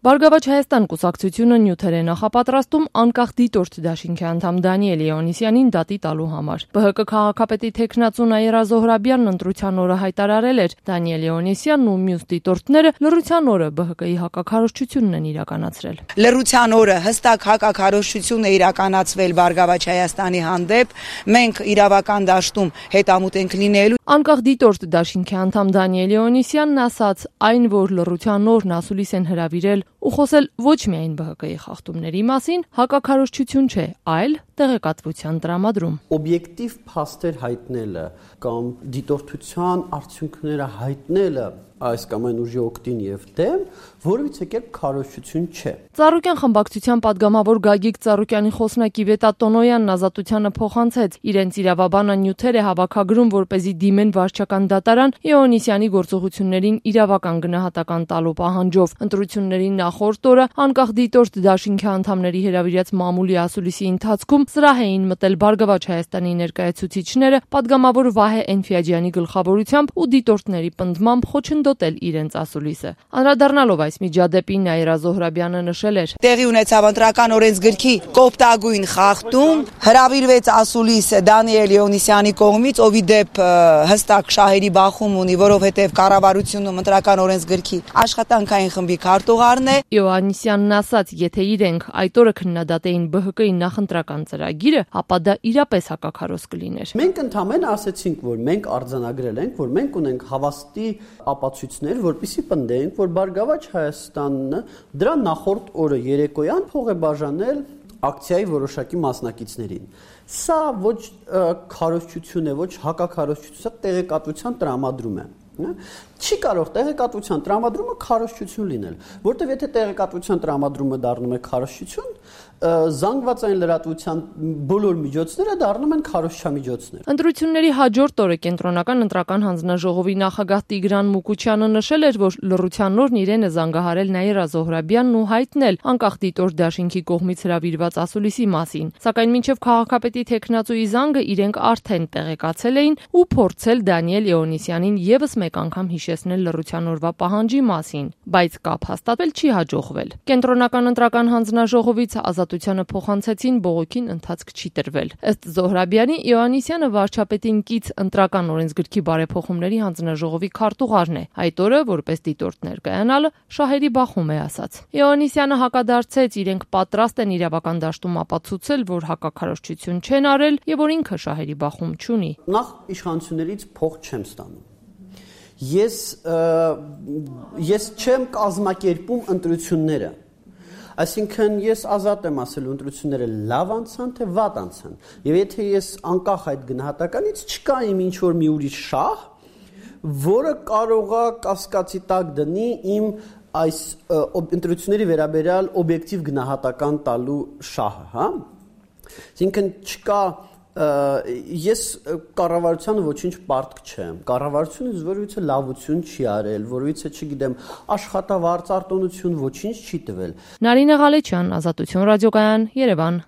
Բարգավաճ Հայաստան կուսակցությունը նյութեր է նախապատրաստում անկախ դիտորդ դաշինքի անդամ Դանիել Իոաննիսյանին դատի տալու համար։ ԲՀԿ քաղաքապետի թեկնածու Նաիրա Զոհրաբյանն ընտրության օրը հայտարարել էր, Դանիել Իոաննիսյանն ու մյուս դիտորդները լռության օրը ԲՀԿ-ի հակաքարոզչությունն են իրականացրել։ Լռության օրը հստակ հակաքարոզչություն է իրականացվել Բարգավաճ Հայաստանի հանդեպ, մենք իրավական դաշտում հետամուտ ենք լինելու։ Անկախ դիտորդ դաշինքի անդամ Դանիել Իոաննիսյանն ասաց, այն որ լռության օրն ասուլիս են հրավիրել ու խոսել ոչ միայն ԲՀԿ-ի խախտումների մասին, հակաքարոզչություն չէ, այլ տեղեկատվության տրամադրում։ Օբյեկտիվ փաստեր հայտնելը կամ դիտորդության արդյունքները հայտնելը այս կամ այն ուժի օգտին եւ դեմ որևիցե կերպ քարոզչություն չէ։ Ծառուկյան խմբակցության падգամավոր Գագիկ Ծառուկյանի խոսնակի Վետա Տոնոյանն Ազատությանը փոխանցեց, իրենց իրավաբանը նյութեր է հավաքագրում, որպեսզի դիմեն վարչական դատարան Իոաննիսյանի գործողություններին իրավական գնահատական տալու պահանջով։ Ընտրությունների նախորդ օրը անկախ դիտորդ դաշինքի անդամների հրավիրած մամուլի ասուլիսի ընթացքում սրահ էին մտել Բարգավաճ Հայաստանի ներկայացուցիչները, падգամավոր Վահե Էնֆիաջյանի գլխավորությամբ ու դիտորդների պնդմամբ խոչընդոտել իրենց ասուլիսը։ Անդրադառնալով այս միջադեպին Նաիրա Զոհրաբյանը նշել էր. Տեղի ունեցավ ընտրական օրենսգրքի կոպտագույն խախտում, հրավիրվեց ասուլիս Դանիել Իոաննիսյանի կողմից, ով ի դեպ հստակ շահերի բախում ունի, որովհետև կառավարությունում ընտրական օրենսգրքի աշխատանքային խմբի քարտուղարն է։ Իոաննիսյանն ասաց, եթե իրենք այդ օրը քննադատեին ԲՀԿ-ի նախընտրական ծրագիրը, ապա դա իրապես հակաքարոզ կլիներ։ Մենք ընդհանրապես ասացինք, որ մենք արձանագրել ենք, որ մենք ունենք հավաստի ապացույցներ, որպեսզի պնդենք, որ Բարգավաճ Հայաստանը դրա նախորդ օրը երեկոյան փող է բաժանել ակցիայի որոշակի մասնակիցներին։ Սա ոչ քարոզչություն է, ոչ հակաքարոզչություն, սա տեղեկատվության տրամադրում է։ Չի կարող տեղեկատվության տրամադրումը քարոզչություն լինել, որտեղ եթե տեղեկատվության տրամադրումը դառնում է քարոզչություն, զանգվածային լրատվության բոլոր միջոցները դառնում են քարոզչամիջոցներ։ Ընտրությունների հաջորդ օրը կենտրոնական ընտրական հանձնաժողովի նախագահ Տիգրան Մուկուչյանը նշել էր, որ լռության օրն իրեն է զանգահարել Նաիրա Զոհրաբյանն ու հայտնել անկախ դիտորդ դաշինքի կողմից հրավիրված ասուլիսի մասին, սակայն մինչև քաղաքապետի թեկնածուի զանգը իրենք արդեն տեղեկացել էին ու փորձել Դանիել Իոաննիսյանին եւս մեկ անգամ հիշեցնել լռության օրվա պահանջի մասին, բայց կապ հաստատվել չի հաջողվել։ Կենտրոնական ընտրական հանձնաժողովից Ազատությանը փոխանցեցին բողոքին ընթացք չի տրվել։ Ըստ Զոհրաբյանի, Իոաննիսյանը վարչապետին կից ընտրական օրենսգրքի բարեփոխումների հանձնաժողովի քարտուղարն է։ Այդ օրը, որպես դիտորդ ներկայանալը, շահերի բախում է ասաց։ Իոաննիսյանը հակադարձեց, իրենք պատրաստ են իրավական դաշտում ապացուցել, որ հակաքարոզչություն չեն արել եւ որ ինքը շահերի բախում չունի։ Նախ իշխանություններից փող չեմ ստանում։ Ես չեմ կազմակերպում ընտրությունները։ Այսինքն ես ազատ եմ ասելու ընտրությունները լավ անցան, թե վատ անցան։ Եվ եթե ես անկախ այդ գնահատականից չկա իմ ինչ-որ մի ուրիշ շահ, որը կարող է կասկածի տակ դնի իմ այս ընտրությունների վերաբերյալ օբյեկտիվ գնահատական տալու շահը, հա։ Այսինքն չկա ես կառավարությանը ոչինչ պարտք չեմ։ Կառավարությունը որևիցե լավություն չի արել, որևիցե, չգիտեմ, աշխատավարձ արտոնություն ոչինչ չի տվել։ Նարինե Ղալեչյան, Ազատություն ռադիոկայան, Երևան։